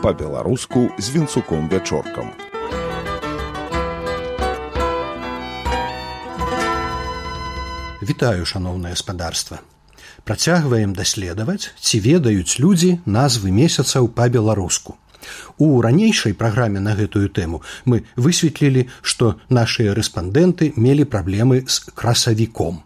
па-беларуску з Вінцуком Вячоркам. Вітаю, шаноўнае гаспадарства. Працягваем даследаваць, ці ведаюць людзі назвы месяцаў па-беларуску. У ранейшай праграме на гэтую тэму мы высветлілі, што нашыя рэспандэнты мелі праблемы з красавіком.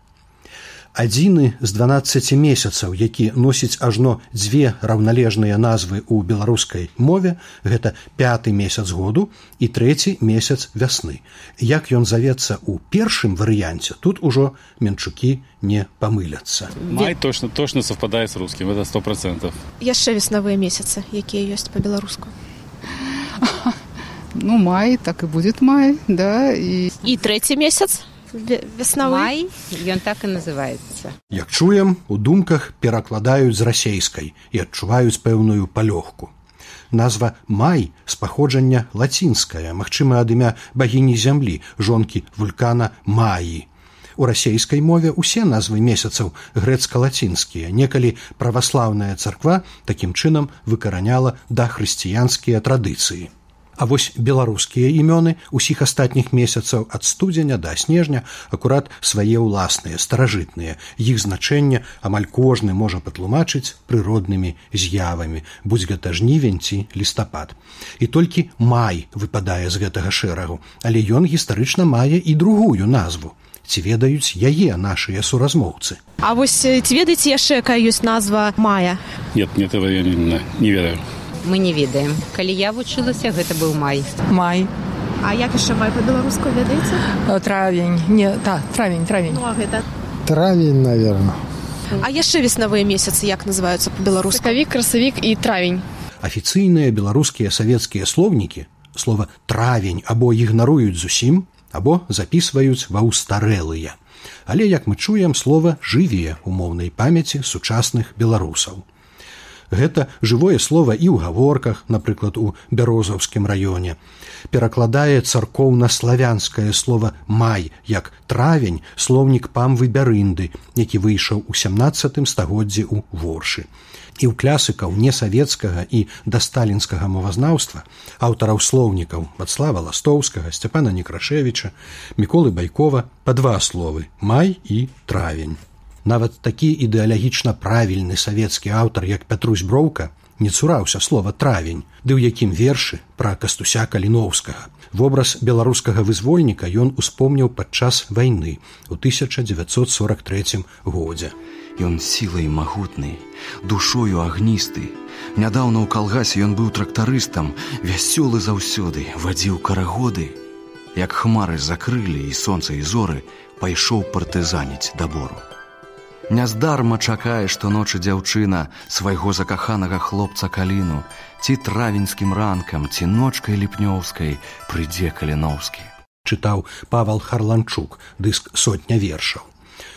Адзіны з 12 месяцаў, які носіць ажно дзве раўналежныя назвы ў беларускай мове, гэта 5-й месяц году і 3-й месяц вясны. Як ён завецца ў першым варыянце, тут ужо менчукі не памыляцца. Май точно совпадае з рускім, это 100%. Яшчэ веснавыя месяцы, якія ёсць па-беларуску. Ну, май, так і будзе май, да. І 3-й месяц? Веснавы? Май, ён так і называецца. Як чуем, у думках перакладаюць з расейскай і адчуваюць пэўную палёгку. Назва май з паходжання лацінская, магчыма, ад імя багіні зямлі, жонкі вулкана Маі. У расейскай мове ўсе назвы месяцаў грэцка-лацінскія. Некалі праваслаўная царква такім чынам выкараняла дахрысціянскія традыцыі. А вось беларускія імёны ўсіх астатніх месяцаў ад студзеня да снежня акурат свае ўласныя, старажытныя. Іх значэнне амаль кожны можа патлумачыць прыроднымі з'явамі, будзь гэта жнівень ці лістапад. І толькі май выпадае з гэтага шэрагу, але ён гістарычна мае і другую назву. Ці ведаюць яе нашыя суразмоўцы? А вось ці ведаеце яшчэ, якая ёсць назва мая? Нет, этого я не ведаю. Мы не ведаем. Калі я вучылася, гэта быў май. Май. А як яшчэ май па-беларуску ведаеце? Травень. Травень. Ну, а гэта? Травень, наверное. А яшчэ веснавыя месяцы як называюцца па-беларуску? Сакавік, красавік і травень. Афіцыйныя беларускія савецкія слоўнікі слова «травень» або ігнаруюць зусім, або запісваюць ва ўстарэлыя. Але, як мы чуем, слова жыве ў моўнай памяці сучасных беларусаў. Гэта жывое слова і ў гаворках, напрыклад, у Бярозаўскім раёне. Перакладае царкоўна-славянскае слова «май» як «травень» слоўнік Памвы Бярынды, які выйшаў у 17 стагоддзі ў Воршы. І ў класікаў несавецкага і дасталінскага мовазнаўства, аўтараў слоўнікаў Вацлава Ластоўскага, Сцяпана Некрашевіча, Міколы Байкова па два словы «май» і «травень». Нават такі ідэалагічна правільны савецкі аўтар, як Пятрусь Броўка, не цураўся слова «травень», ды ў якім вершы пра Кастуся Каліноўскага. Вобраз беларускага вызвольніка ён успомніў падчас вайны ў 1943 годзе. Ён сілай магутны, душою агністы. Нядаўна ў калгасе ён быў трактарыстам, вясёлы заўсёды, вадзіў карагоды. Як хмары закрылі і сонца і зоры, пайшоў партызаніць да бору. Няздарма чакае, што ночы дзяўчына свайго закаханага хлопца Каліну, ці травеньскім ранкам, ці ночкай ліпнёўскай прыйдзе Каліноўскі. Чытаў Павал Харланчук, дыск «Сотня вершаў».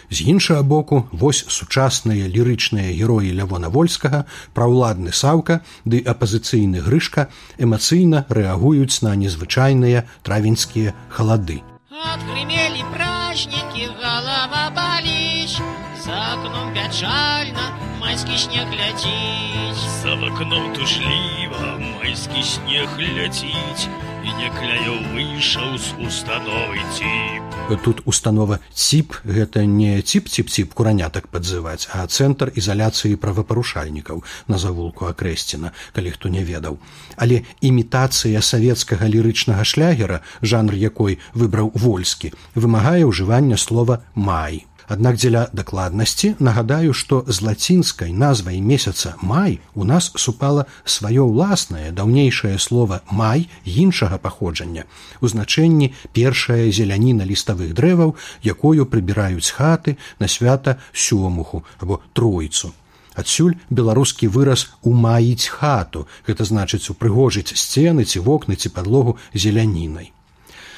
З іншага боку, вось сучасныя лірычныя героі Лявона Вольскага, праўладны Саўка ды апазіцыйны Грышка эмацыйна рэагуюць на незвычайныя травеньскія халады. Отгремели праздники, голова болит, за окном печально, майский снег летит. За окном тужліва, майский снег летит, і некляё выйшаў з установы ЦІП. Тут установа ЦІП – гэта не ЦІП-ЦІП-ЦІП куранятак падзываць, а цэнтр ізаляцыі правапарушальнікаў на завулку Акрэсціна, калі хто не ведаў. Але імітацыя савецкага лірычнага шлягера, жанр якой выбраў Вольскі, вымагае ўжывання слова «май». Аднак дзеля дакладнасці нагадаю, што з лацінскай назвай месяца «май» у нас супала сваё ўласнае даўнейшае слова «май» іншага паходжання, у значэнні першая зеляніна ліставых дрэваў, якою прыбіраюць хаты на свята Сёмуху або Тройцу. Адсюль беларускі выраз «умаіць хату», гэта значыць упрыгожыць сцены ці вокны ці падлогу зелянінай.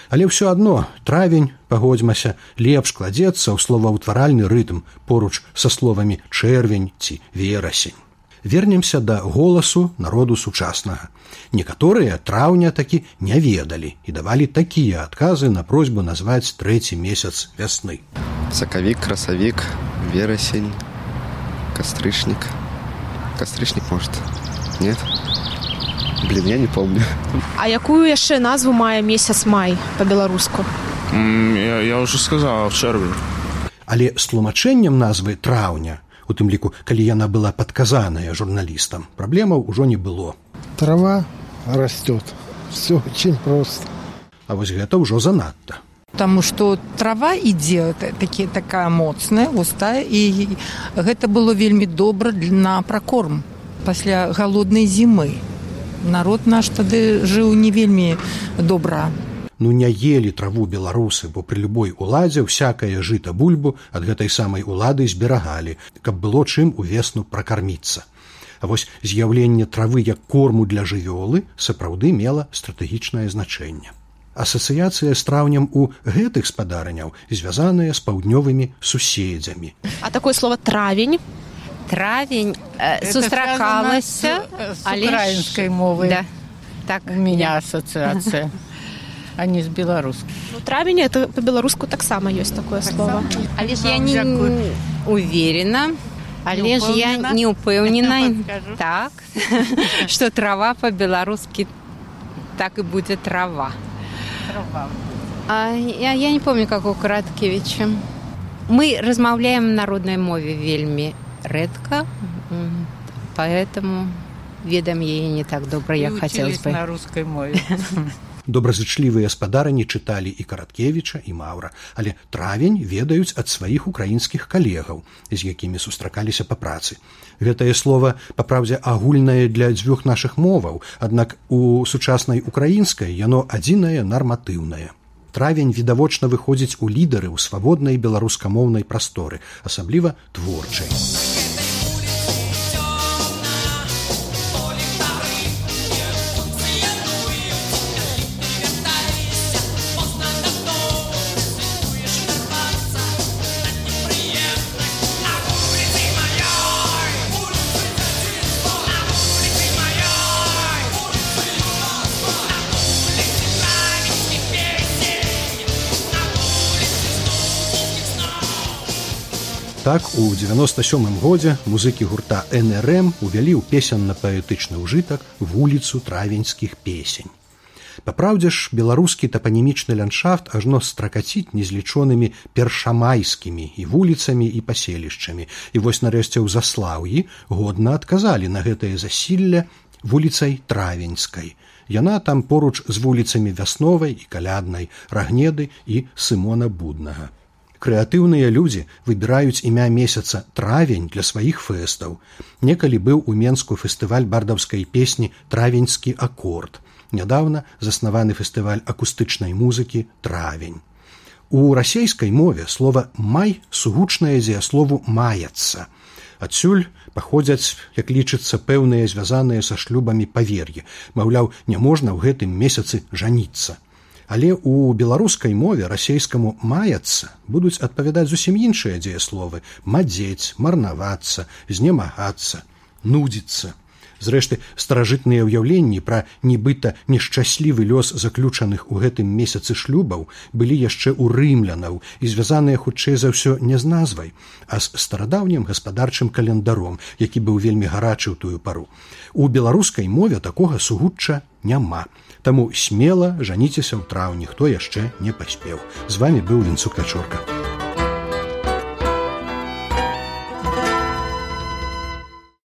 Але ўсё адно травень, пагодзьмася, лепш кладзецца ў словаўтваральны рытм поруч са словамі чэрвень ці верасень. Вернемся да голасу народу сучаснага. Некаторыя траўня такі не ведалі і давалі такія адказы на просьбу назваць 3-й месяц вясны. Сакавік, красавік, верасень, кастрычнік. Кастрычнік, может? Нет? Блин, я не помню. А якую яшчэ назву мае месяц май па-беларуску? Я уже сказал, чэрвень. Але з тлумачэннем назвы траўня, у тым ліку, калі яна была падказаная журналістам, праблемаў ужо не было. Трава растет. Все очень просто. А вось гэта ўжо занадта. Потому что трава ідзе такая моцная, густая, і гэта было вельмі добра на пракорм пасля галоднай зімы. Народ наш тады жыў не вельмі добра. Ну не елі траву беларусы, бо пры любой уладзе всякае жыта бульбу ад гэтай самай улады зберагалі, каб было чым увесну пракарміцца. А вось з'яўленне травы як корму для жывёлы сапраўды мела стратэгічнае значэнне. Асацыяцыя з траўнем у гэтых спадарняў звязаная з паўднёвымі суседзямі. А такое слово травень? Травень сустракалася с украинской мовой. Да. Так, у меня ассоциация, а не с белорусской. Ну, травень, это по-белоруску так само есть такое слово. Але ж я не уверена, але ж я не упэўнена, так, что трава по-белорусски так и будет трава. Я не помню, как у Караткевича. Мы размаўляем на народной мове вельмі редко, поэтому ведам яе не так добра, як хотелось бы. На русской мове. Добразычлівыя спадарні чыталі і Караткевіча, і Маўра, але травень ведаюць ад сваіх украінскіх калегаў, з якімі сустракаліся па працы. Гэтае слово, папраўдзе, агульнае для дзвюх нашых моваў, аднак у сучаснай украінскай яно адзінае нарматыўнае. Травень відавочна выходзіць у лідары ў свабоднай беларускамоўнай прасторы, асабліва творчай. Так, у 97-м годзе музыкі гурта НРМ увялі ў песенна-паэтычны ўжытак вуліцу травеньскіх песень. Папраўдзе ж, беларускі тапанімічны ландшафт ажно стракаціць незлічонымі першамайскімі і вуліцамі і паселішчамі. І вось нарэшце ў Заслаўі годна адказалі на гэтае засілле вуліцай Травеньскай. Яна там поруч з вуліцамі Вясновай і Каляднай, Рагнеды і Сымона Буднага. Крэатыўныя людзі выбіраюць імя месяца травень для сваіх фэстаў. Некалі быў у Менску фестываль бардаўскай песні «Травеньскі акорд». Нядаўна заснаваны фестываль акустычнай музыкі «Травень». У расейскай мове слова «май» сугучнае дзеяслову «маяцца». Адсюль паходзяць, як лічыцца, пэўныя звязаныя са шлюбамі павер'і. Маўляў, не можна ў гэтым месяцы жаніцца. Але ў беларускай мове расейскаму «маяцца» будуць адпавядаць зусім іншыя дзеясловы: мадзець, марнавацца, знемагацца, нудзіцца. Зрэшты, старажытныя ўяўленні пра нібыта нешчаслівы лёс заключаных у гэтым месяцы шлюбаў былі яшчэ ў рымлянаў і звязаныя хутчэй за ўсё не з назвай, а з старадаўнім гаспадарчым календаром, які быў вельмі гарачы ў тую пару. У беларускай мове такога сугучча няма. Таму смела жаніцеся ў траўні, хто яшчэ не паспеў. З вамі быў Вінцук Вячорка.